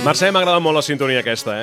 Mercè, m'ha agradat molt la sintonia aquesta,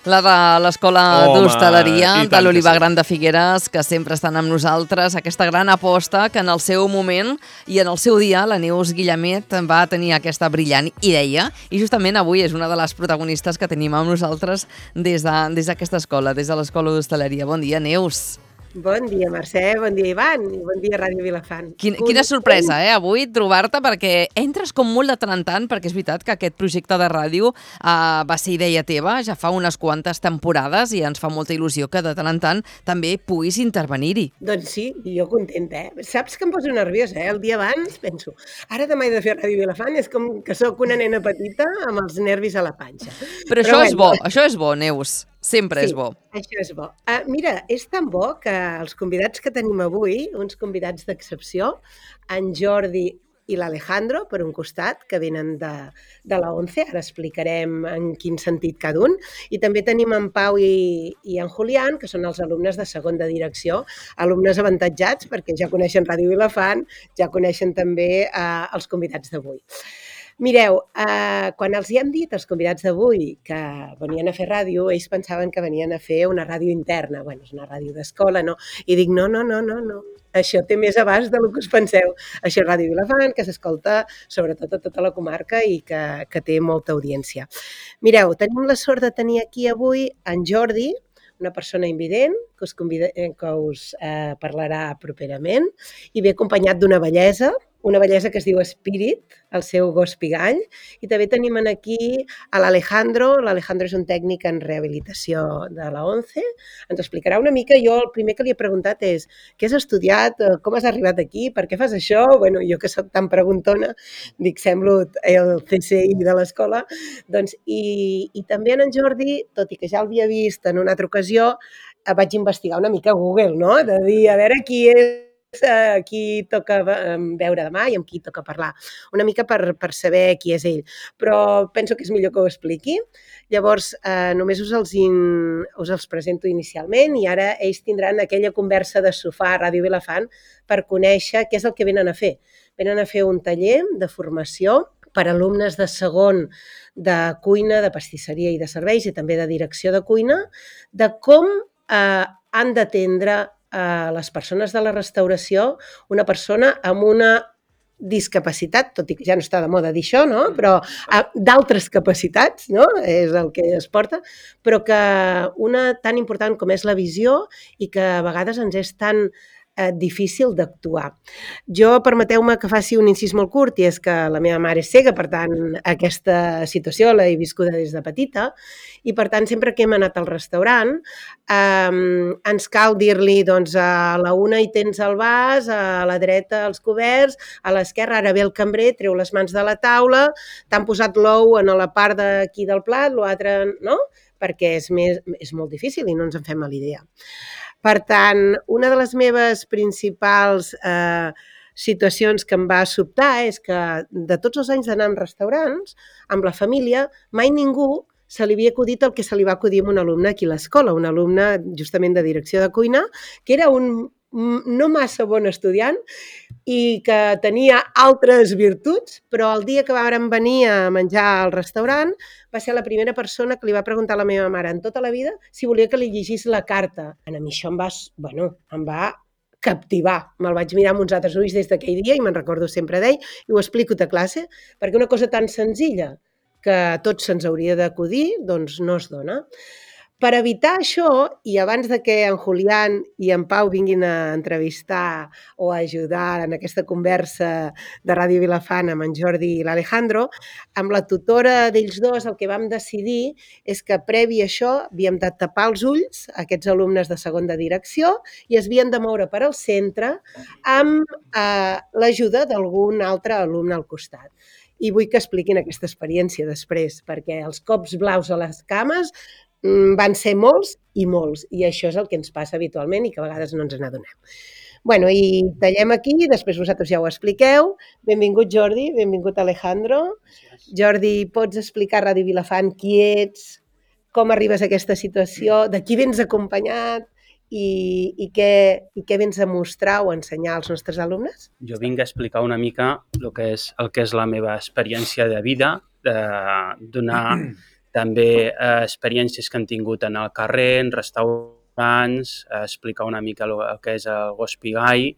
La de l'Escola Home, d'Hostaleria i de tant que l'Olivar sí. Gran de Figueres, que sempre estan amb nosaltres, aquesta gran aposta que en el seu moment i en el seu dia la Neus Guillemet va tenir aquesta brillant idea i justament avui és una de les protagonistes que tenim amb nosaltres des d'aquesta escola, des de l'Escola d'Hostaleria. Bon dia, Neus. Bon dia, Mercè, bon dia, Ivan, i bon dia, Ràdio Vilafant. Quina sorpresa, avui trobar-te, perquè entres com molt de tant en tant, perquè és veritat que aquest projecte de ràdio va ser idea teva ja fa unes quantes temporades i ens fa molta il·lusió que de tant en tant també puguis intervenir-hi. Doncs sí, jo contenta, Saps que em poso nerviosa, El dia abans penso, ara demà he de fer Ràdio Vilafant, és com que sóc una nena petita amb els nervis a la panxa. Però això és bo, Neus. Sempre és bo. Això és bo. Mira, és tan bo que els convidats que tenim avui, uns convidats d'excepció, en Jordi i l'Alejandro, per un costat, que venen de la ONCE, ara explicarem en quin sentit cada un, i també tenim en Pau i en Julián, que són els alumnes de segon de direcció, alumnes avantatjats, perquè ja coneixen Ràdio Vilafant, ja coneixen també els convidats d'avui. Mireu, quan els hi hem dit als convidats d'avui que venien a fer ràdio, ells pensaven que venien a fer una ràdio interna. Bueno, és una ràdio d'escola, no? I dic, no. Això té més abast del que us penseu. Això és Ràdio Vilafant, que s'escolta sobretot a tota la comarca i que té molta audiència. Mireu, tenim la sort de tenir aquí avui en Jordi, una persona invident que us parlarà properament i ve acompanyat d'una bellesa que es diu Spirit, el seu gos pigall, i també tenim aquí a l'Alejandro. L'Alejandro és un tècnic en rehabilitació de la ONCE. Ens explicarà una mica. Jo el primer que li he preguntat és què has estudiat, com has arribat aquí, per què fas això? Bueno, jo que soc tan preguntona, dic, semblo el CSI de l'escola. Doncs, i també en Jordi, tot i que ja l'havia vist en una altra ocasió, vaig investigar una mica a Google, no? De dir, a veure qui toca veure demà i amb qui toca parlar. Una mica per saber qui és ell. Però penso que és millor que ho expliqui. Llavors, només us els presento inicialment i ara ells tindran aquella conversa de sofà a Ràdio Vilafant per conèixer què és el que venen a fer. Venen a fer un taller de formació per alumnes de segon de cuina, de pastisseria i de serveis i també de direcció de cuina, de com han d'atendre les persones de la restauració, una persona amb una discapacitat, tot i que ja no està de moda dir això, no? Però d'altres capacitats, no? És el que es porta, però que una tan important com és la visió i que a vegades ens és tan difícil d'actuar. Jo, permeteu-me que faci un incís molt curt, i és que la meva mare és cega, per tant, aquesta situació l'he viscuda des de petita, i per tant, sempre que hem anat al restaurant, ens cal dir-li, doncs, a la una hi tens el vas, a la dreta els coberts, a l'esquerra ara ve el cambrer, treu les mans de la taula, t'han posat l'ou en la part d'aquí del plat, l'altre, no? Perquè és molt difícil i no ens en fem a l'idea. Per tant, una de les meves principals situacions que em va sobtar és que de tots els anys d'anar en restaurants, amb la família, mai ningú se li havia acudit el que se li va acudir a un alumne aquí a l'escola, un alumne justament de direcció de cuina, que era un no massa bon estudiant i que tenia altres virtuts, però el dia que vàrem venir a menjar al restaurant va ser la primera persona que li va preguntar a la meva mare en tota la vida si volia que li llegís la carta. A mi això em va captivar. Me'l vaig mirar amb uns altres ulls des d'aquell dia i me'n recordo sempre d'ell i ho explico a classe, perquè una cosa tan senzilla que a tots se'ns hauria d'acudir, doncs no es dona. Per evitar això, i abans de que en Julián i en Pau vinguin a entrevistar o a ajudar en aquesta conversa de Ràdio Vilafant amb en Jordi i l'Alejandro, amb la tutora d'ells dos el que vam decidir és que previ a això havíem de tapar els ulls a aquests alumnes de segon de direcció i es havien de moure per al centre amb l'ajuda d'algun altre alumne al costat. I vull que expliquin aquesta experiència després, perquè els cops blaus a les cames van ser molts, i això és el que ens passa habitualment i que a vegades no ens n'adonem. Bueno, i tallem aquí, després vosaltres ja ho expliqueu. Benvingut Jordi, benvingut Alejandro. Jordi, pots explicar a Ràdio Vilafant qui ets, com arribes a aquesta situació, de qui vens acompanyat i què vens a mostrar o a ensenyar als nostres alumnes? Jo vinc a explicar una mica el que és la meva experiència de vida, de donar també experiències que han tingut en el carrer, en restaurants, explicar una mica el que és el gos pigai,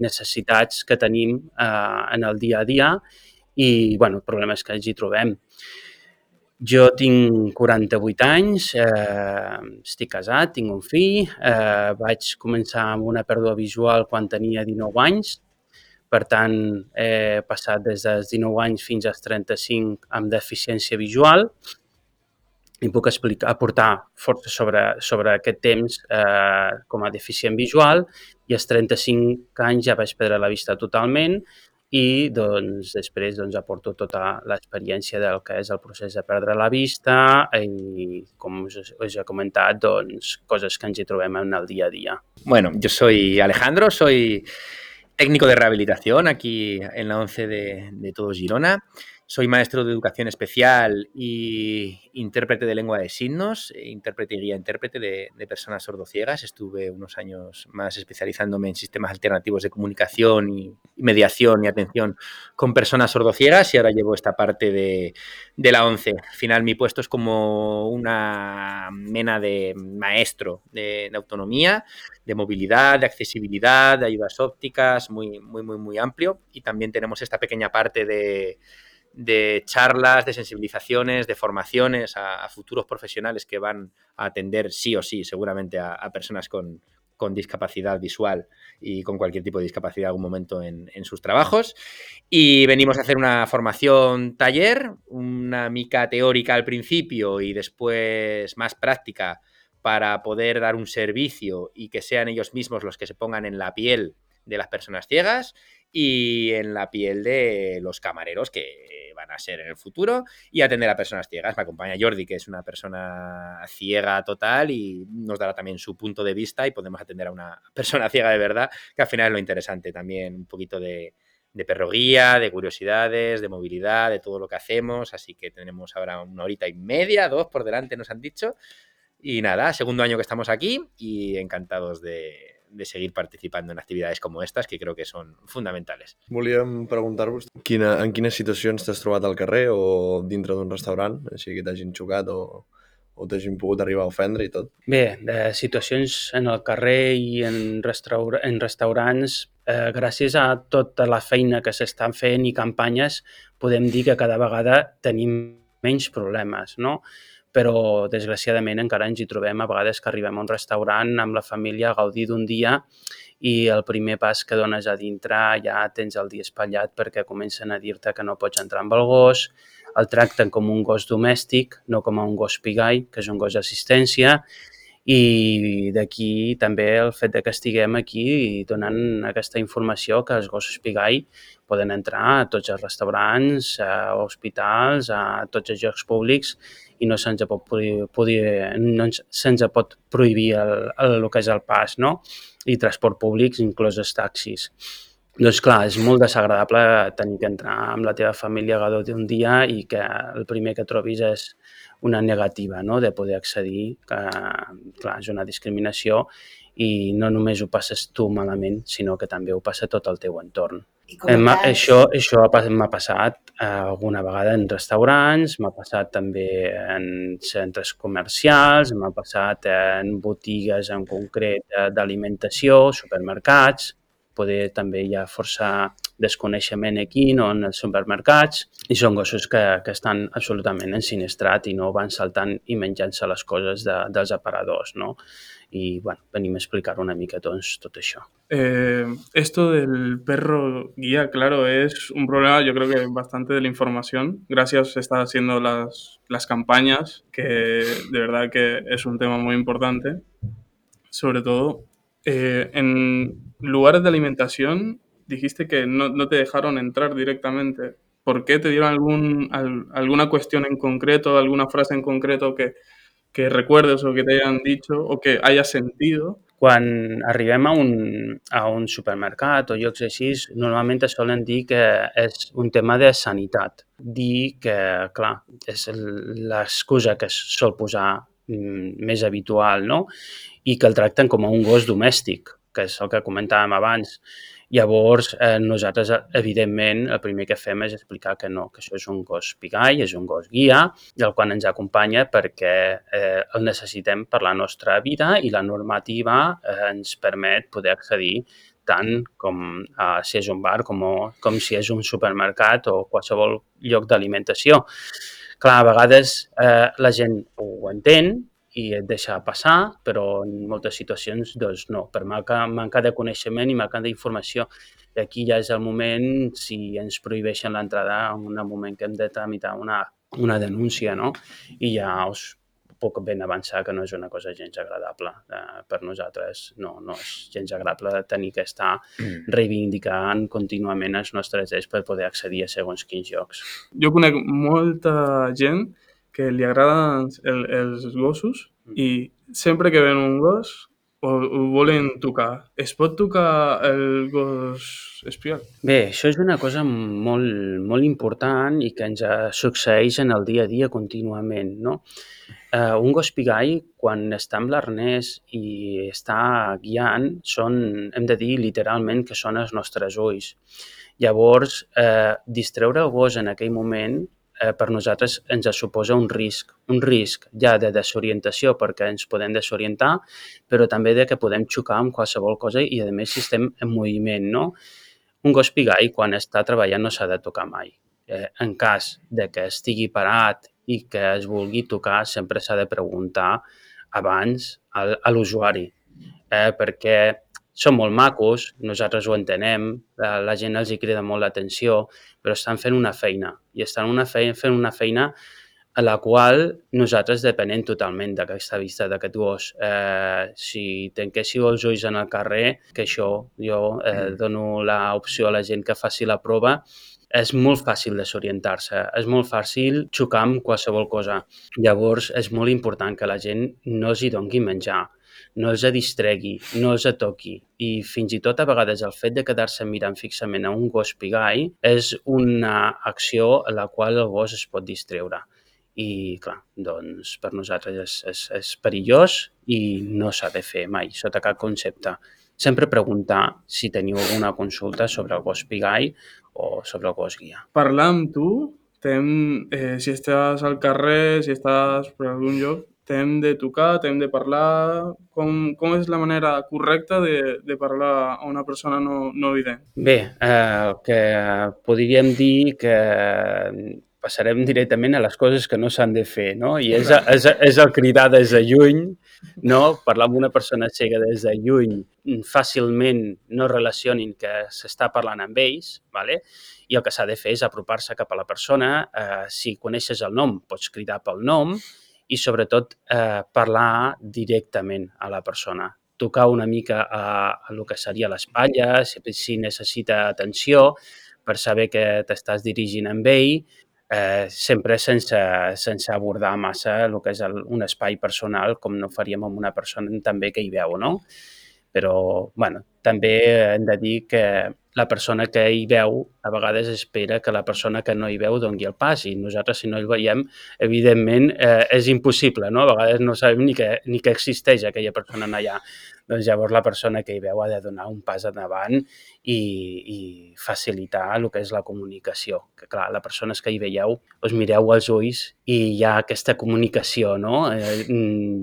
necessitats que tenim en el dia a dia i problemes que ens hi trobem. Jo tinc 48 anys, estic casat, tinc un fill, vaig començar amb una pèrdua visual quan tenia 19 anys, per tant, he passat des dels 19 anys fins als 35 amb deficiència visual i puc aportar força sobre aquest temps com a deficient visual i als 35 anys ja vaig perdre la vista totalment i després aporto tota l'experiència del que és el procés de perdre la vista i, com us he comentat, coses que ens hi trobem en el día a día. Bueno, yo soy Alejandro, soy técnico de rehabilitación aquí en la ONCE de Todo Girona. Soy maestro de educación especial y intérprete de lengua de signos, intérprete y guía intérprete de personas sordociegas. Estuve unos años más especializándome en sistemas alternativos de comunicación y mediación y atención con personas sordociegas y ahora llevo esta parte de la ONCE. Al final mi puesto es como una mena de maestro de autonomía, de movilidad, de accesibilidad, de ayudas ópticas, muy amplio. Y también tenemos esta pequeña parte de charlas, de sensibilizaciones, de formaciones a futuros profesionales que van a atender sí o sí seguramente a personas con discapacidad visual y con cualquier tipo de discapacidad en algún momento en sus trabajos. Y venimos a hacer una formación taller, una mica teórica al principio y después más práctica para poder dar un servicio y que sean ellos mismos los que se pongan en la piel de las personas ciegas y en la piel de los camareros que van a ser en el futuro y atender a personas ciegas. Me acompaña Jordi, que es una persona ciega total y nos dará también su punto de vista y podemos atender a una persona ciega de verdad, que al final es lo interesante también, un poquito de perroguía, de curiosidades, de movilidad, de todo lo que hacemos. Así que tenemos ahora 1 horita y media, 2 por delante nos han dicho. Y nada, segundo año que estamos aquí y encantados de seguir participando en actividades como estas, que creo que són fundamentales. Volíem preguntar-vos en quines situacions t'has trobat al carrer o dintre d'un restaurant, així que t'hagin xocat o t'hagin pogut arribar a ofendre i tot. Bé, de situacions en el carrer i en restaurants, gràcies a tota la feina que s'estan fent i campanyes, podem dir que cada vegada tenim menys problemes, no? Però, desgraciadament, encara ens hi trobem a vegades que arribem a un restaurant amb la família a gaudir d'un dia i el primer pas que dones a dintre ja tens el dia espatllat perquè comencen a dir-te que no pots entrar amb el gos, el tracten com un gos domèstic, no com un gos pigai, que és un gos d'assistència, i d'aquí també el fet que estiguem aquí donant aquesta informació que els gossos pigai poden entrar a tots els restaurants, a hospitals, a tots els llocs públics i no se'ns pot prohibir el que és el pas, no? I transport públic, inclòs els taxis. Doncs clar, és molt desagradable tenir que entrar amb la teva família a gaudir d'un dia i que el primer que trobis és una negativa, no?, de poder accedir, que clar, és una discriminació i no només ho passes tu malament, sinó que també ho passa tot el teu entorn. Això m'ha passat alguna vegada en restaurants, m'ha passat també en centres comercials, m'ha passat en botigues en concret d'alimentació, supermercats, poder també hi ha força desconeixement aquí, no, en els supermercats, i són gossos que estan absolutament ensinistrats i no van saltant i menjant-se les coses dels aparadors, no? Y bueno, venim a explicar una mica tot això. Esto del perro guía, claro, es un problema, yo creo que bastante de la información. Gracias, se están haciendo las campañas, que de verdad que es un tema muy importante. Sobre todo, en lugares de alimentación, dijiste que no te dejaron entrar directamente. ¿Por qué? ¿Te dieron alguna cuestión en concreto, alguna frase en concreto que recuerdes o que te hayan dicho o que hayas sentido? Quan arribem a un supermercat o llocs així, normalment es solen dir que és un tema de sanitat. Dir que, clar, és l'excusa que es sol posar més habitual, no? I que el tracten com a un gos domèstic, que és el que comentàvem abans. Llavors, nosaltres, evidentment, el primer que fem és explicar que no, que això és un gos pigai, és un gos guia, i el qual ens acompanya perquè el necessitem per la nostra vida i la normativa ens permet poder accedir tant com si és un bar com si és un supermercat o qualsevol lloc d'alimentació. Clar, a vegades la gent ho entén i et deixa passar, però en moltes situacions doncs no, per manca de coneixement i manca d'informació. I aquí ja és el moment, si ens prohibeixen l'entrada, en un moment que hem de tramitar una denúncia, no? I ja us puc ben avançar que no és una cosa gens agradable. Per nosaltres no és gens agradable tenir que estar reivindicant contínuament els nostres drets per poder accedir a segons quins llocs. Jo conec molta gent que li agraden els gossos i sempre que ven un gos ho volen tocar. Es pot tocar el gos espial? Bé, això és una cosa molt, molt important i que ens succeeix en el dia a dia contínuament, no? Un gos pigai, quan està amb l'arnès i està guiant, hem de dir literalment que són els nostres ulls. Llavors, distreure el gos en aquell moment per nosaltres ens suposa un risc ja de desorientació perquè ens podem desorientar, però també de que podem xocar amb qualsevol cosa i, a més, si estem en moviment, no? Un gos pigai, quan està treballant, no s'ha de tocar mai. En cas de que estigui parat i que es vulgui tocar, sempre s'ha de preguntar abans a l'usuari, perquè són molt macos, nosaltres ho entenem, la gent els hi crida molt l'atenció, però estan fent una feina i estan fent una feina a la qual nosaltres depenem totalment d'aquesta vista d'aquest gos. Si tanquéssiu els ulls en el carrer, que això jo dono l'opció a la gent que faci la prova, és molt fàcil desorientar-se, és molt fàcil xocar amb qualsevol cosa. Llavors, és molt important que la gent no els hi doni menjar, no els distregui, no els toqui. I fins i tot a vegades el fet de quedar-se mirant fixament a un gos pigai és una acció a la qual el gos es pot distreure. I, clar, doncs per nosaltres és perillós i no s'ha de fer mai, sota cap concepte. Sempre preguntar si teniu alguna consulta sobre el gos pigai o sobre el gos guia. Parlar amb tu, si estàs al carrer, si estàs per algun lloc, t'hem de tocar, t'hem de parlar. Com és la manera correcta de parlar a una persona no vident? Bé, que podríem dir que passarem directament a les coses que no s'han de fer, no? I és el cridar des de lluny, no? Parlar amb una persona cega des de lluny, fàcilment no relacionin que s'està parlant amb ells, ¿vale? I el que s'ha de fer és apropar-se cap a la persona. Si coneixes el nom, pots cridar pel nom i, sobretot, parlar directament a la persona. Tocar una mica a el que seria l'espatlla, si necessita atenció, per saber que t'estàs dirigint amb ell, sempre sense abordar massa el que és un espai personal, com no faríem amb una persona també que hi veu, no? Però, bueno, també hem de dir que la persona que hi veu a vegades espera que la persona que no hi veu doni el pas i nosaltres, si no el veiem, evidentment és impossible, no? A vegades no sabem ni que existeix aquella persona allà. Doncs llavors la persona que hi veu ha de donar un pas endavant i facilitar el que és la comunicació. Que clar, les persones que hi veieu, us mireu als ulls i hi ha aquesta comunicació, no?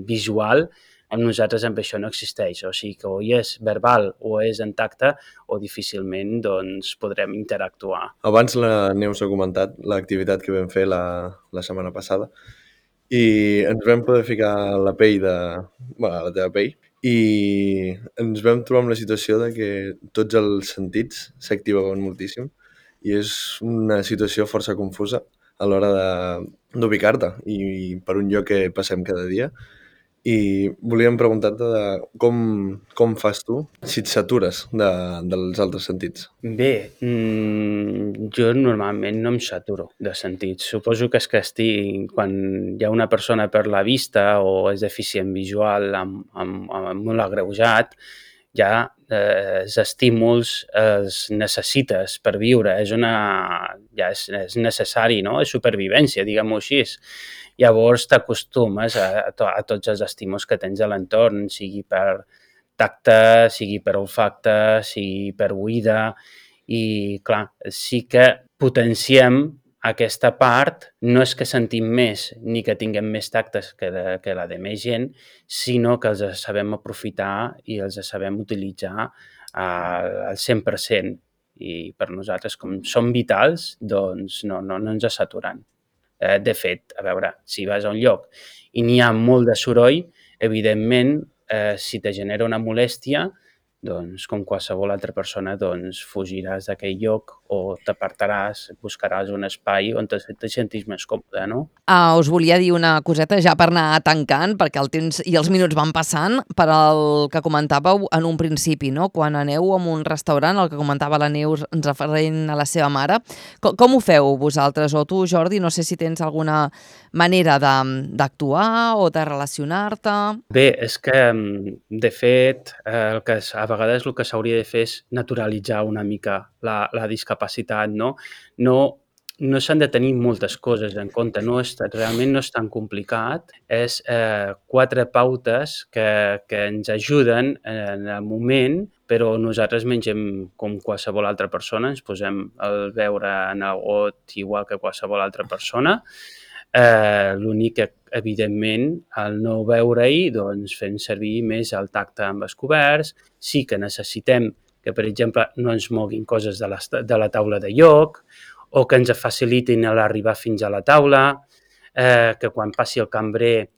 Visual. Amb nosaltres amb això no existeix, o sigui que o és verbal o és en tacte o difícilment doncs, podrem interactuar. Abans la Neus ha comentat l'activitat que vam fer la setmana passada i ens vam poder ficar la pell la teva pell i ens vam trobar amb la situació de que tots els sentits s'activaven moltíssim i és una situació força confusa a l'hora d'ubicar-te i per un lloc que passem cada dia. I volíem preguntar-te com fas tu si et satures dels altres sentits. Bé, jo normalment no em saturo de sentits. Suposo que és que quan hi ha una persona per la vista o és deficient visual amb molt agreujat, ja els estímuls els necessites per viure. Ja és necessari, no? És supervivència, diguem-ho així. Llavors t'acostumes a tots els estímuls que tens a l'entorn, sigui per tacte, sigui per olfacte, sigui per oïda, i clar, sí que potenciem aquesta part, no és que sentim més ni que tinguem més tactes que la de més gent, sinó que els sabem aprofitar i els sabem utilitzar al 100%. I per nosaltres, com són vitals, doncs no ens saturen. De fet, a veure, si vas a un lloc i n'hi ha molt de soroll, evidentment, si te genera una molèstia, doncs, com qualsevol altra persona, doncs, fugiràs d'aquell lloc o t'apartaràs, buscaràs un espai on te sentis més còmode, no? Us volia dir una coseta ja per anar tancant, perquè el temps i els minuts van passant, per al que comentàveu en un principi, no? Quan aneu a un restaurant, el que comentava la Neus referent a la seva mare, com ho feu vosaltres? O tu, Jordi, no sé si tens alguna manera d'actuar o de relacionar-te? Bé, és que, de fet, a vegades el que s'hauria de fer és naturalitzar una mica la discapacitat, no? No s'han de tenir moltes coses en compte, realment no és tan complicat, és 4 pautes que ens ajuden en el moment, però nosaltres mengem com qualsevol altra persona, ens posem el beure en el got igual que qualsevol altra persona. L'únic que, evidentment, al no veure-hi, doncs fem servir més el tacte amb els coberts. Sí que necessitem que, per exemple, no ens moguin coses de la taula de lloc, o que ens facilitin l'arribar fins a la taula, que quan passi el cambrer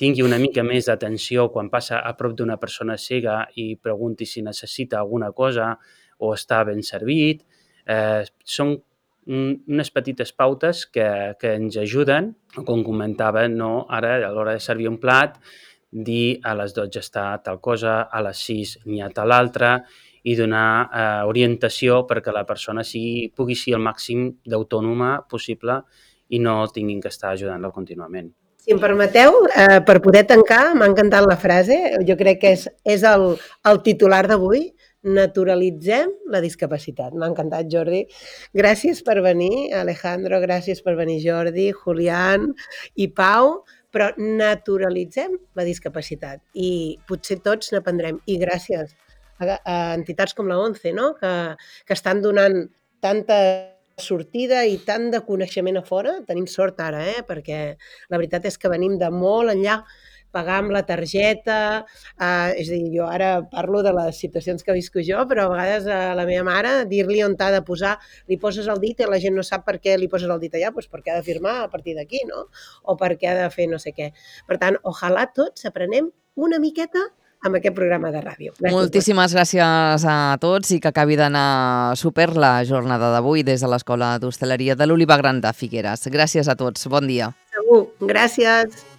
tingui una mica més d'atenció quan passa a prop d'una persona cega i pregunti si necessita alguna cosa o està ben servit. Són unes petites pautes que ens ajuden, com comentava, no? Ara, a l'hora de servir un plat, dir a les 12 està tal cosa, a les 6 n'hi ha tal altra, i donar orientació perquè la persona pugui ser el màxim d'autònoma possible i no tinguin que estar ajudant-la contínuament. Si em permeteu, per poder tancar, m'ha encantat la frase, jo crec que és el titular d'avui, naturalitzem la discapacitat. M'ha encantat, Jordi. Gràcies per venir, Alejandro, gràcies per venir, Jordi, Julián i Pau, però naturalitzem la discapacitat i potser tots n'aprendrem. I gràcies a entitats com la ONCE, no? que estan donant tanta sortida i tant de coneixement a fora. Tenim sort ara, perquè la veritat és que venim de molt enllà, pagar amb la targeta, és a dir, jo ara parlo de les situacions que visco jo, però a vegades a la meva mare dir-li on t'ha de posar, li poses el dit i la gent no sap per què li poses el dit allà, doncs perquè ha de firmar a partir d'aquí, no? O perquè ha de fer no sé què. Per tant, ojalà tots aprenem una miqueta amb aquest programa de ràdio. Moltíssimes gràcies a tots i que acabi d'anar super la jornada d'avui des de l'Escola d'Hostaleria de l'Oliva Gran de Figueres. Gràcies a tots. Bon dia. Segur. Gràcies.